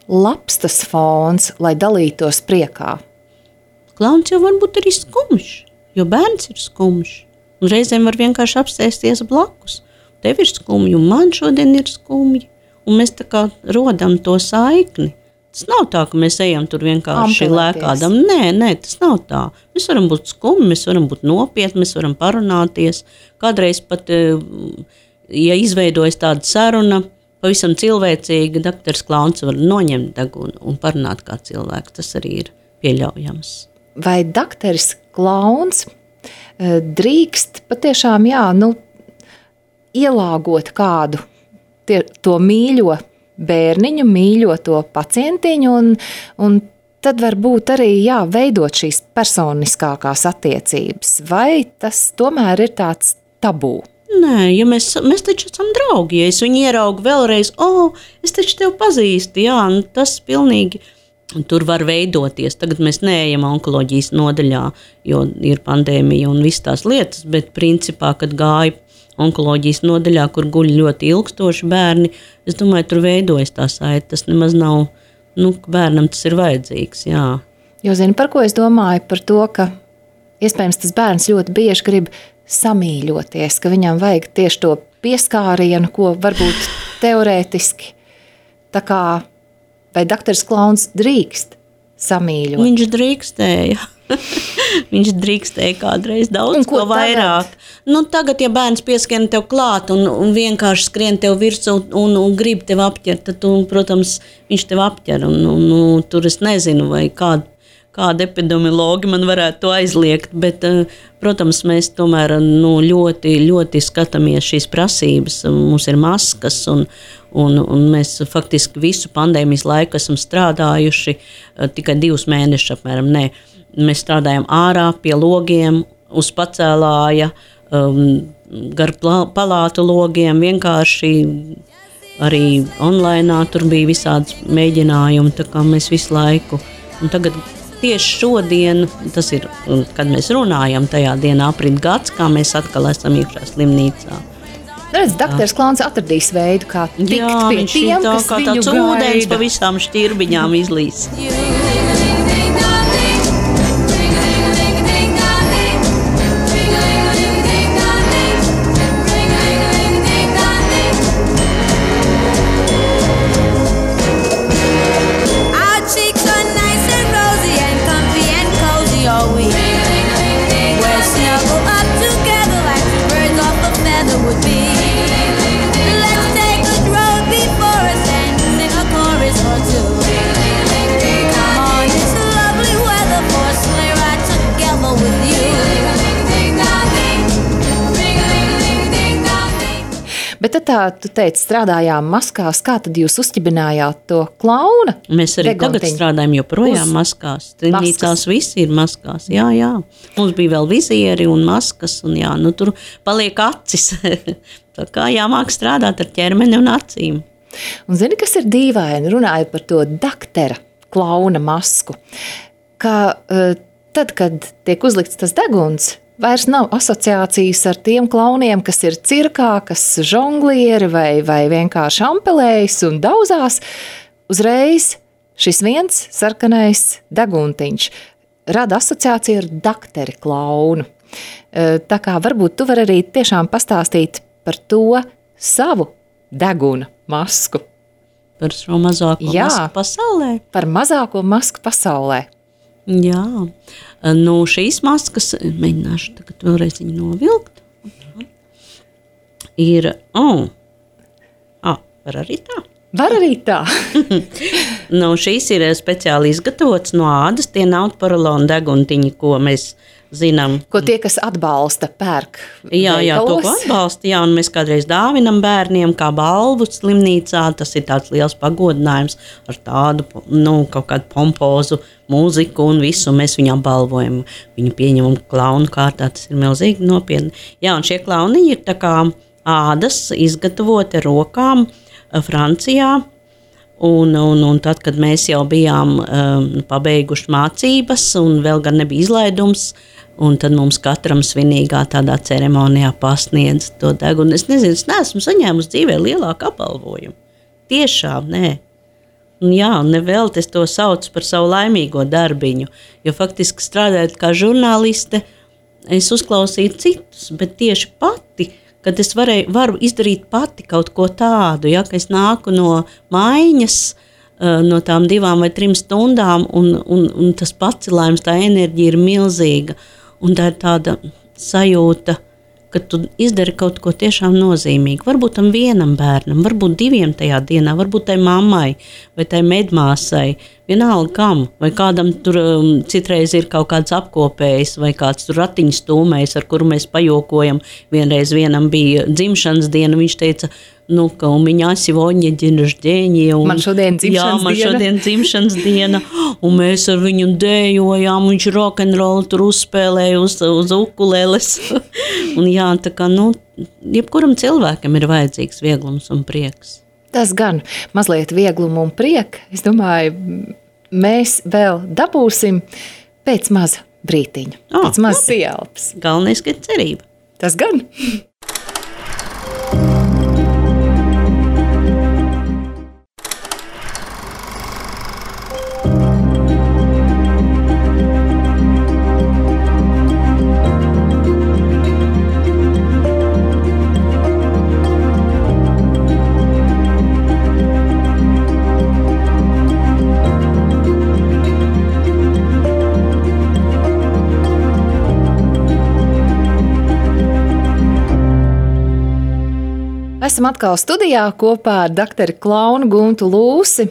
Speaker 1: labs tas fons, lai dalītos priekā?
Speaker 2: Klauns jau varbūt arī skumjš. Jo bērns ir skumjš, un reizēm var vienkārši apsēsties blakus. Tev ir skumji, un man šodien ir skumji, un mēs tā kā rodam to saikni. Tas nav tā, ka mēs ejam tur vienkārši lēkādam. Nē, nē, tas nav tā. Mēs varam būt skumji, mēs varam būt nopietni, mēs varam parunāties. Kādreiz pat, ja izveidojas tāda saruna, pavisam cilvēcīga, doktors Klauns var noņemt degunu un parunāt kā cilvēks. Tas arī ir pieļaujams.
Speaker 1: Vai doktors Klauns drīkst patiešām, jā, nu, ielāgot kādu tie, to mīļo bērniņu, mīļo to pacientiņu, un, un tad varbūt arī, jā, veidot šīs personiskākās attiecības? Vai tas tomēr ir tāds tabū?
Speaker 2: Nē, ja mēs, mēs taču esam draugi, ja es viņu ieraugu vēlreiz, o, oh, es taču tevi pazīstu, jā, nu, tas pilnīgi... Tur var veidoties. Tagad mēs neejam onkoloģijas nodaļā, jo ir pandēmija un viss tās lietas, bet principā, kad gāja onkoloģijas nodaļā, kur guļ ļoti ilgstoši bērni, es domāju, tur veidojas tā saite. Tas nemaz nav, nu, bērnam tas ir vajadzīgs, jā.
Speaker 1: Jo zini, par ko es domāju? Par to, ka iespējams tas bērns ļoti bieži grib samīļoties, ka viņam vajag tieši to pieskārienu, ko varbūt teorētiski tā kā. Vai doktors Klauns drīkst samīļot?
Speaker 2: Viņš drīkstēja. Viņš drīkstēja kādreiz daudz ko, ko vairāk. Tagad? Nu, tagad, ja bērns pieskrien tev klāt un, un vienkārši skrien tev virsū un, un, un grib tev apķert, tad, tu, protams, viņš tev apķer. Un, un, un, tur es nezinu, vai kāda, kāda epidemiologi man varētu to aizliegt, bet, protams, mēs tomēr nu, ļoti, ļoti skatāmies šīs prasības. Mums ir maskas un Un, un mēs faktiski visu pandēmijas laiku esam strādājuši tikai divus mēnešus apmēram. Nē, mēs strādājam ārā pie logiem, uz pacēlāja, um, gar palātu logiem, vienkārši arī online tur bija visādas mēģinājumi, tā kā mēs visu laiku. Un tagad tieši šodien, tas ir, kad mēs runājam, tajā dienā aprit gads, kā mēs atkal esam iekšā slimnīcā.
Speaker 1: Redz, doktors Klauns atradīs veidu, kā tikt
Speaker 2: jā,
Speaker 1: pie tiem,
Speaker 2: tā,
Speaker 1: kas
Speaker 2: kā
Speaker 1: viņu
Speaker 2: gaida. Jā, tāds ūdens pa visām šķirbiņām izlīs.
Speaker 3: Let's take a road before us and sing a chorus or two. Come on.
Speaker 1: Bet tad tā, tu teici, strādājām maskās, kā tad jūs uzķibinājāt to klauna?
Speaker 2: Mēs arī
Speaker 1: degontiņu?
Speaker 2: Tagad strādājam joprojām Uz maskās. Slimnīcās visi ir maskās, jā, jā. Mums bija vēl vizieri un maskas, un jā, nu tur paliek acis. Tā kā jāmāk strādāt ar ķermeni un acīm.
Speaker 1: Un zini, kas ir dīvaini, runājot par to daktera klauna masku, ka uh, tad, kad tiek uzlikts tas deguns, vairs nav asociācijas ar tiem klauniem, kas ir cirkā, kas žonglieri vai, vai vienkārši ampelējas un dauzās. Uzreiz šis viens sarkanais deguntiņš rada asociāciju ar dakteri klaunu. Uh, tā kā varbūt tu vari arī tiešām pastāstīt par to savu deguna masku.
Speaker 2: Par šo mazāko Jā, masku pasaulē?
Speaker 1: Par mazāko masku pasaulē.
Speaker 2: Jā, nu šīs maskas, mēģināšu tagad vēlreiz viņu novilkt. Ir, oh, ah, var arī tā?
Speaker 1: Var arī tā.
Speaker 2: Nu, šīs ir speciāli izgatavotas no ādas, tie nav porolona deguntiņi, ko mēs zinām.
Speaker 1: Ko tie, kas atbalsta, pērk
Speaker 2: Jā, jā, to, ko atbalsta, jā, un mēs kādreiz dāvinam bērniem kā balvu slimnīcā, tas ir tāds liels pagodinājums ar tādu, nu, kaut kādu pompozu mūziku un visu, mēs viņu apbalvojam, viņu pieņemam klaunu kārtā, tas ir milzīgi nopietni. Jā, un šie klauni ir tā kā ādas izgatavoti rokām Francijā, Un, un, un tad, kad mēs jau bijām um, pabeiguši mācības un vēl gan nebija izlaidums, un tad mums katram svinīgā tādā ceremonijā pasniedz to degunu. Es nezinu, es neesmu saņēmusi dzīvē lielāku apbalvojumu. Tiešām, nē. Un jā, un nevēl es to saucu par savu laimīgo darbiņu, jo faktiski strādājot kā žurnāliste, es uzklausīju citus, bet tieši pati, kad es varēju, varu izdarīt pati kaut ko tādu, ja, ka es nāku no mājiņas, no tām divām vai trim stundām, un, un, un tas pacelājums, tā enerģija ir milzīga, un tā ir tāda sajūta, ka tu izdari kaut ko tiešām nozīmīgu. Varbūt tam vienam bērnam, varbūt diviem tajā dienā, varbūt tai mammai vai tai medmāsai, vienalga kam, vai kādam tur um, citreiz ir kaut kāds apkopējs vai kāds tur ratiņš stūmējs, ar kuru mēs pajokojam. Vienreiz vienam bija dzimšanas diena, viņš teica, nu, ka un viņa сегодня день рождения.
Speaker 1: Man šodien dzimšanas
Speaker 2: jā, man
Speaker 1: diena.
Speaker 2: šodien dzimšanas diena, un mēs ar viņu dējojām, viņš rokenrolu tur uzspēlēja uz, uz ukuleles. Un jā, tā kā, nu, jebkuram cilvēkam ir vajadzīgs vieglums un prieks.
Speaker 1: Tas gan mazliet vieglumu un prieka. Es domāju, mēs vēl dabūsim pēc maza brītiņa,
Speaker 2: oh,
Speaker 1: pēc maza pieelpas.
Speaker 2: Galvenais, ka ir cerība.
Speaker 1: Tas gan. Esam atkal studijā kopā ar doktoru klaunu Guntu Lūsi.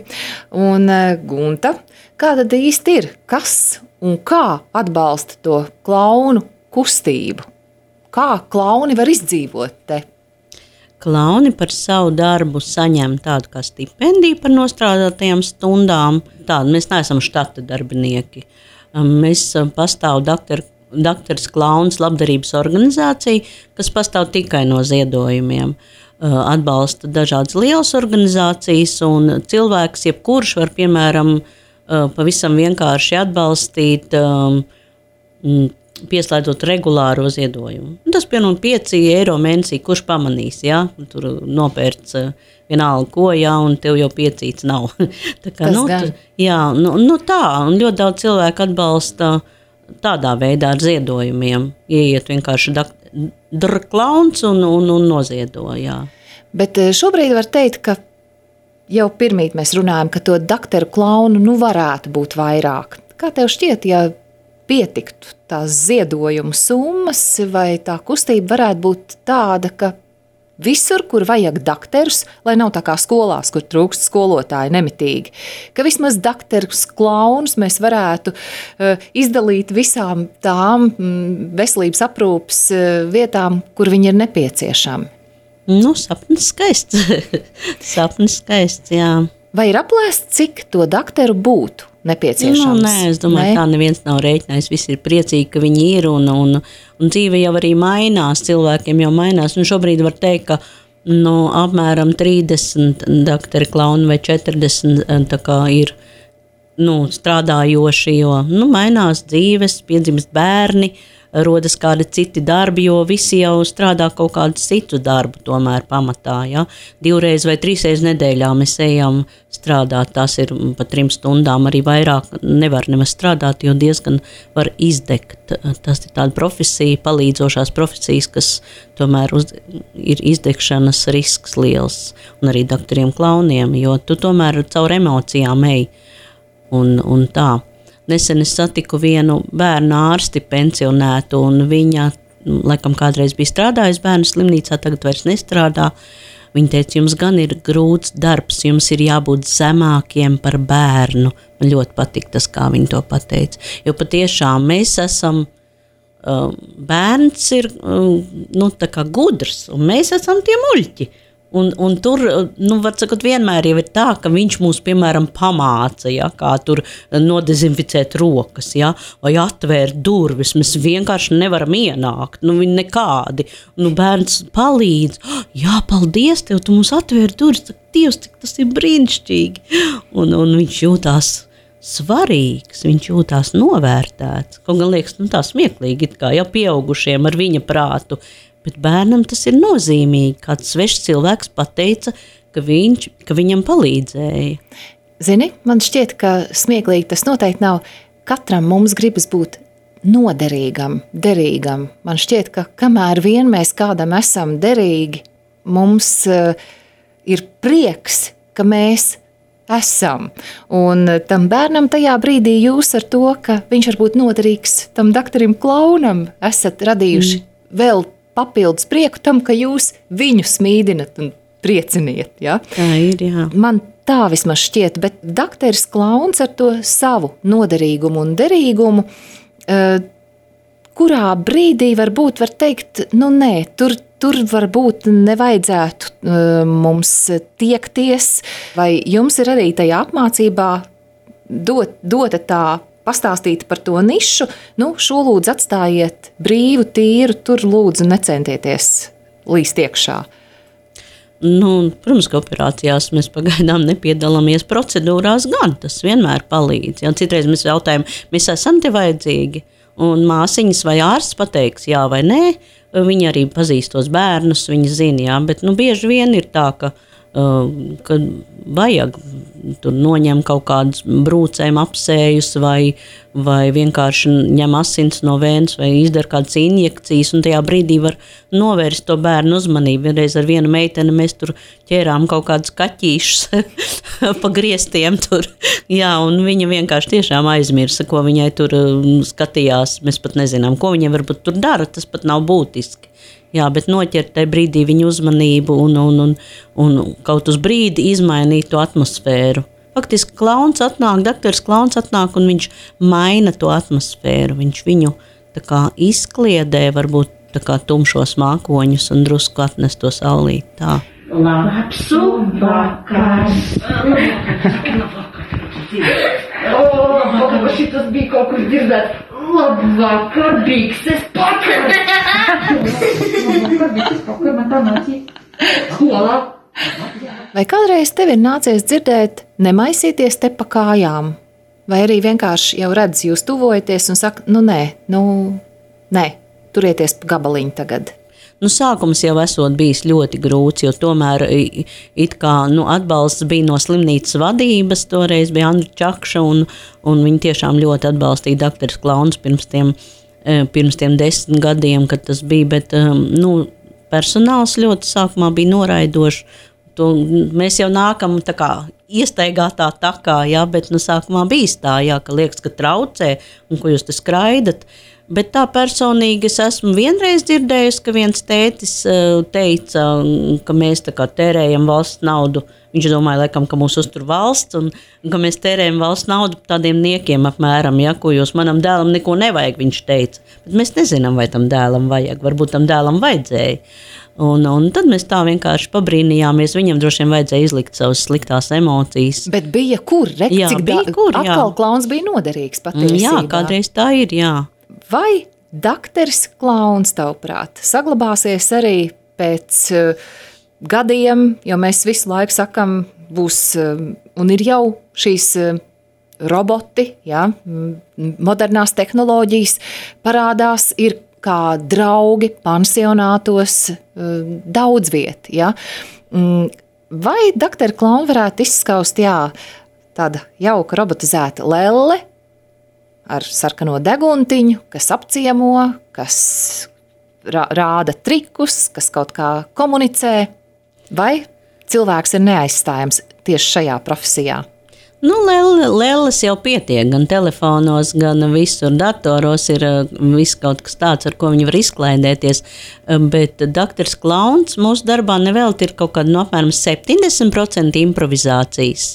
Speaker 1: Un, Gunta, kā tad īsti ir? Kas un kā atbalsta to klaunu kustību? Kā klauni var izdzīvot te?
Speaker 2: Klauni par savu darbu saņem tādu kā stipendiju par nostrādātajām stundām. Tādu mēs neesam štata darbinieki. Mēs pastāv doktoru Doktors Klauns labdarības organizācija, kas pastāv tikai no ziedojumiem. Atbalsta dažādas lielas organizācijas, un cilvēks, jebkurš var, piemēram, pavisam vienkārši atbalstīt, pieslēdzot regulāro ziedojumu. Tas, piemēram, pieci eiro mēnesī, kurš pamanīs, ja? Tur nopērts vienalga ko, jā, un tev jau piecīts nav. Tā kā, nu, tu, jā, nu, nu tā, un ļoti daudz cilvēku atbalsta tādā veidā ar ziedojumiem. Ieiet vienkārši dr klauns un, un, un noziedo, jā.
Speaker 1: Bet šobrīd var teikt, ka jau pirmīt mēs runājam, ka to doktoru klaunu nu varētu būt vairāk. Kā tev šķiet, ja pietiktu tās ziedojumu summas, vai tā kustība varētu būt tāda, ka visur, kur vajag doktorus, lai nav tā kā skolās, kur trūkst skolotāji nemitīgi, ka vismaz doktorus klaunus mēs varētu uh, izdalīt visām tām mm, veselības aprūpas uh, vietām, kur viņi ir nepieciešami.
Speaker 2: Nu, sapnis skaists. sapnis skaists, jā.
Speaker 1: Vai ir aplēsts, cik to dakteru būtu nepieciešams?
Speaker 2: Nu, nē, es domāju, nē. Tā neviens nav rēķinājis. Visi ir priecīgi, ka viņi ir, un, un, un dzīve jau arī mainās, cilvēkiem jau mainās. Un šobrīd var teikt, ka nu, apmēram trīsdesmit dakteri klauni vai četrdesmit tā kā ir nu, strādājoši, jo nu, mainās dzīves, piedzimst bērni, rodas kādi citi darbi, jo visi jau strādā kaut kādu citu darbu tomēr pamatā. Ja? Divreiz vai trīsreiz nedēļā mēs ejam strādāt, tās ir pa trim stundām, arī vairāk nevar nemaz strādāt, jo diezgan var izdegt. Tas ir tāda profesija, palīdzošās profesijas, kas tomēr uz, ir izdegšanas risks liels, un arī dakteriem klauniem, jo tu tomēr caur emocijām ej un, un tā. Nesen es satiku vienu bērnu ārsti pensionētu, un viņa, laikam, kādreiz bija strādājusi bērnu slimnīcā, tagad vairs nestrādā. Viņa teica, jums gan ir grūts darbs, jums ir jābūt zemākiem par bērnu. Man ļoti patīk tas, kā viņa to pateica. Jo patiešām mēs esam, uh, bērns ir uh, nu, tā kā gudrs, un mēs esam tie muļķi. Un, un tur, nu, var sakot, vienmēr jau ir tā, ka viņš mūs, piemēram, pamāca, ja, kā tur nodezinficēt rokas, ja, vai atvērt durvis. Mēs vienkārši nevaram ienākt, nu, viņi nekādi. Nu, bērns palīdz, jā, paldies tev, tu mums atvēri durvis, Dievs, cik tas ir brīnišķīgi. Un, un viņš jūtās svarīgs, viņš jūtās novērtēts. Kaut gan liekas, nu, tā smieklīgi, it kā jau pieaugušiem ar viņa prātu. Bet bērnam tas ir nozīmīgi. Kāds svešs cilvēks pateica, ka, viņš, ka viņam palīdzēja.
Speaker 1: Zini, man šķiet, ka smieklīgi tas noteikti nav. Katram mums gribas būt noderīgam, derīgam. Man šķiet, ka kamēr vien mēs kādam esam derīgi, mums uh, ir prieks, ka mēs esam. Un tam bērnam tajā brīdī jūs ar to, ka viņš var būt noderīgs tam dakterim klaunam, esat radījuši mm. vēl papildus prieku tam, ka jūs viņu smīdinat un prieciniet. Ja?
Speaker 2: Tā ir, jā.
Speaker 1: Man tā vismaz šķiet, bet dakteris klauns ar to savu noderīgumu un derīgumu, uh, kurā brīdī varbūt var teikt, nu nē, tur, tur varbūt nevajadzētu uh, mums tiekties, vai jums ir arī tajā apmācībā dot, dota tā pastāstīt par to nišu, nu, šo lūdzu atstājiet brīvu, tīru, tur lūdzu necentieties līst iekšā.
Speaker 2: Nu, protams, ka operācijās mēs pagaidām nepiedalāmies procedūrās gan, tas vienmēr palīdz. Ja, citreiz mēs jautājam, mēs esam te vajadzīgi, un māsiņas vai ārsts pateiks jā vai nē, viņi arī pazīst tos bērnus, viņi zina, jā, bet nu, bieži vien ir tā, ka kad vajag tur noņem kaut kādus brūcēm apsējus vai, vai vienkārši ņem asins no vēnas vai izdara kādas injekcijas, un tajā brīdī var novērst to bērnu uzmanību. Vienreiz ar vienu meiteni mēs tur ķērām kaut kādus kaķīšus pa griestiem tur, jā, un viņa vienkārši tiešām aizmirsa, ko viņai tur skatījās. Mēs pat nezinām, ko viņa varbūt tur dara, tas pat nav būtiski. Jā, bet noķert tajā brīdī viņu uzmanību un, un, un, un kaut uz brīdi izmainīt to atmosfēru. Faktiski klauns atnāk, dakteris klauns atnāk un viņš maina to atmosfēru. Viņš viņu tā kā izkliedē, varbūt tā kā tumšos mākoņus un drusku atnes to saulīt. Tā.
Speaker 3: Labsu vakars! O, šitas bija kaut kur dzirdēt. Labvakar, bikses pakar! Labvakar, bikses pakar, man tā nācija skolā.
Speaker 1: Vai kādreiz tev ir nācies dzirdēt nemaisīties te pa kājām? Vai arī vienkārši jau redz, jūs tuvojaties un saka, nu nē, nu nē, turieties pa gabaliņu tagad?
Speaker 2: Nu, sākums jau esot bijis ļoti grūts, jo tomēr it kā nu, atbalsts bija no slimnīcas vadības, toreiz bija Andra Čakša, un, un viņi tiešām ļoti atbalstīja dakteris klauns pirms tiem, pirms tiem desmit gadiem, kad tas bija, bet nu, personāls ļoti sākumā bija noraidošs. To, mēs jau nākam tā kā iestaigātā takā, jā, bet nu, sākumā bija tā, jā, ka liekas, ka traucē, un ko jūs te skraidat. Bet tā personīgi es esmu vienreiz dzirdējusi, ka viens tētis teica, ka mēs tā kā tērējam valsts naudu. Viņš domāja, laikam, ka mūs uztur valsts un ka mēs tērējam valsts naudu tādiem niekiem apmēram, ja, ko jūs manam dēlam neko nevajag, viņš teica. Bet mēs nezinām, vai tam dēlam vajag, varbūt tam dēlam vajadzēja. Un, un tad mēs tā vienkārši pabrīnījāmies. Viņam droši vien vajadzēja izlikt savas sliktās emocijas.
Speaker 1: Bet bija kur? Re,
Speaker 2: Jā,
Speaker 1: cik
Speaker 2: bija
Speaker 1: da-
Speaker 2: kur, jā.
Speaker 1: Atkal klauns bija noderīgs patiesībā.
Speaker 2: Jā, kādreiz tā ir, jā.
Speaker 1: Vai dakteris klauns, tavuprāt, saglabāsies arī pēc uh, gadiem, jo mēs visu laiku sakam, būs, uh, un ir jau šīs uh, roboti, jā, modernās tehnoloģijas parādās, ir kā draugi pansionātos, daudz viet, ja? Vai dakteri klauni varētu izskaust, jā, tāda jauka robotizēta lelle ar sarkano deguntiņu, kas apciemo, kas rāda trikus, kas kaut kā komunicē, vai cilvēks ir neaizstājams tieši šajā profesijā?
Speaker 2: Nu, lelles jau pietiek, gan telefonos, gan visur datoros ir viss kaut kas tāds, ar ko viņi var izklaidēties, bet dakters klauns mūsu darbā nevēlt ir kaut kāda no apmēram septiņdesmit procenti improvizācijas,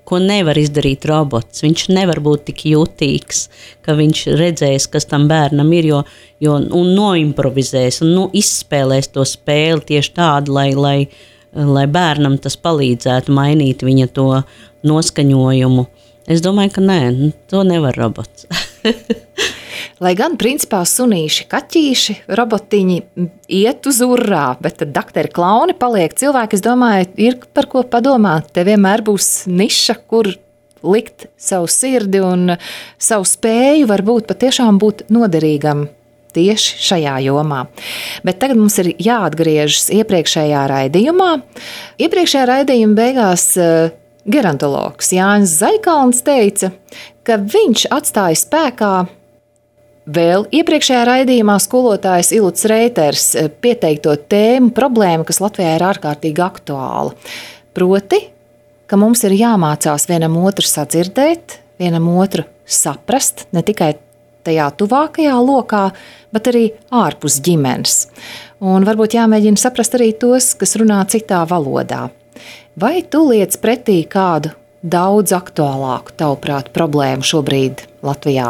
Speaker 2: ko nevar izdarīt robots. Viņš nevar būt tik jutīgs, ka viņš redzēs, kas tam bērnam ir, jo, jo un noimprovizēs, un nu, izspēlēs to spēli tieši tādu, lai, lai lai bērnam tas palīdzētu mainīt viņa to noskaņojumu. Es domāju, ka nē, to nevar robots.
Speaker 1: Lai gan, principā, sunīši, kaķīši, robotiņi iet uz urrā, bet tad dakteri klauni paliek cilvēki, es domāju, ir par ko padomāt. Te vienmēr būs niša, kur likt savu sirdi un savu spēju varbūt patiešām būt noderīgam tieši šajā jomā. Bet tagad mums ir jāatgriežas iepriekšējā raidījumā. Iepriekšējā raidījuma beigās gerontologs Jānis Zaikalns teica, ka viņš atstāja spēkā vēl iepriekšējā raidījumā skolotājs Iluts Reiters pieteikto tēmu problēmu, kas Latvijā ir ārkārtīgi aktuāla. Proti, ka mums ir jāmācās vienam otru sadzirdēt, vienam otru saprast, ne tikai tajā tuvākajā lokā, bet arī ārpus ģimenes. Un varbūt jāmēģina saprast arī tos, kas runā citā valodā. Vai tu liec pretī kādu daudz aktuālāku, tavuprāt, problēmu šobrīd Latvijā?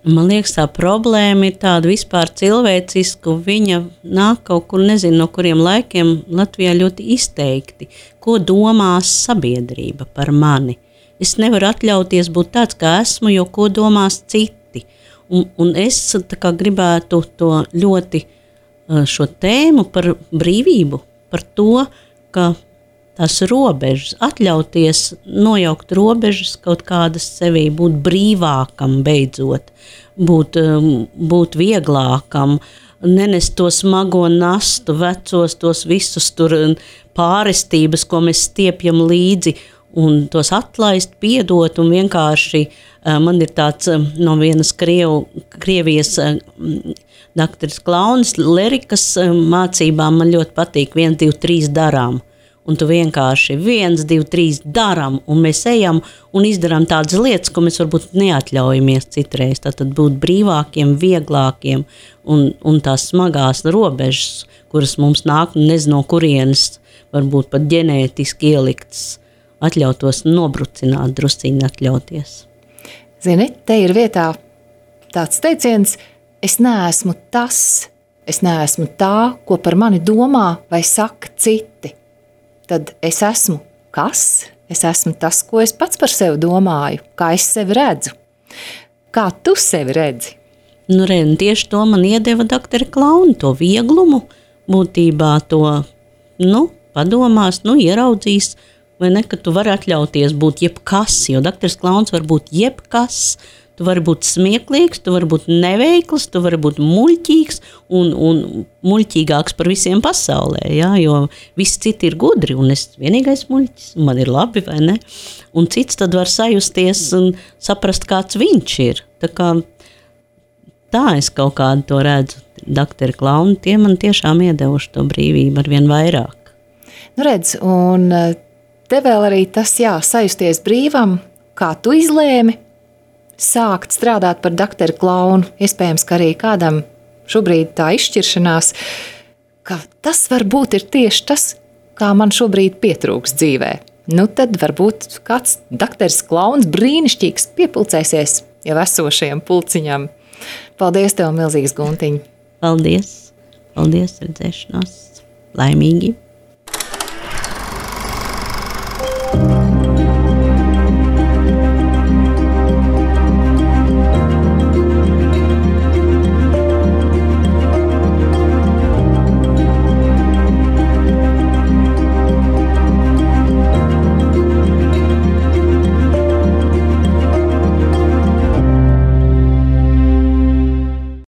Speaker 2: Man liekas, tā problēma ir tāda vispār cilvēciska, viņa nāk kaut kur, nezinu, no kuriem laikiem Latvijā ļoti izteikti. Ko domās sabiedrība par mani? Es nevaru atļauties būt tāds, kā esmu, jo ko domās citi. Un, un es tā kā gribētu to ļoti šo tēmu par brīvību, par to, ka tās robežas, atļauties nojaukt robežas kaut kādas sevī, būt brīvākam beidzot, būt, būt vieglākam, nenest to smago nastu, vecos tos visus tur pārestības, ko mēs stiepjam līdzi, un tos atlaist, piedot, un vienkārši man ir tāds no vienas Krievu, Krievijas dakteris klauns, lerikas mācībām man ļoti patīk viens, divi, trīs darām. Un tu vienkārši viens, divi, trīs darām, un mēs ejam un izdarām tādas lietas, ko mēs varbūt neatļaujamies citreiz. Tātad būt brīvākiem, vieglākiem, un, un tās smagās robežas, kuras mums nāk, nezinu no kurienes, varbūt pat ģenētiski ieliktas, atļautos nobrucināt, drusciņi atļauties.
Speaker 1: Zini, te ir vietā tāds teiciens, es neesmu tas, es neesmu tā, ko par mani domā vai saka citi. Tad es esmu kas? Es esmu tas, ko es pats par sevi domāju, kā es sevi redzu. Kā tu sevi redzi?
Speaker 2: Nu, re, tieši to man iedeva dakteri klauni, to vieglumu, būtībā to, nu, padomās, nu, ieraudzīs, vai ne, ka tu vari atļauties būt jebkas, jo dakteris klauns var būt jebkas. Tu vari būt smieklīgs, tu vari būt neveikls, tu vari būt muļķīgs un, un muļķīgāks par visiem pasaulē, ja? Jo visi citi ir gudri un es vienīgais muļķis, man ir labi, vai ne? Un cits tad var sajusties un saprast, kāds viņš ir. Tā kā tā es kaut kādu to redzu. Dakteri klauni, tie man tiešām iedevuši to brīvību ar vien vairāk.
Speaker 1: Nu redz, un te vēl arī tas, jā, sajusties brīvam, kā tu izlēmi, sākt strādāt par dakteru klaunu, iespējams, ka arī kādam šobrīd tā izšķiršanās, ka tas varbūt ir tieši tas, kā man šobrīd pietrūks dzīvē. Nu tad varbūt kāds dakteris klauns brīnišķīgs piepulcēsies jau esošajam pulciņam. Paldies tev, milzīgs Guntiņ!
Speaker 2: Paldies! Paldies, redzēšanos! Laimīgi!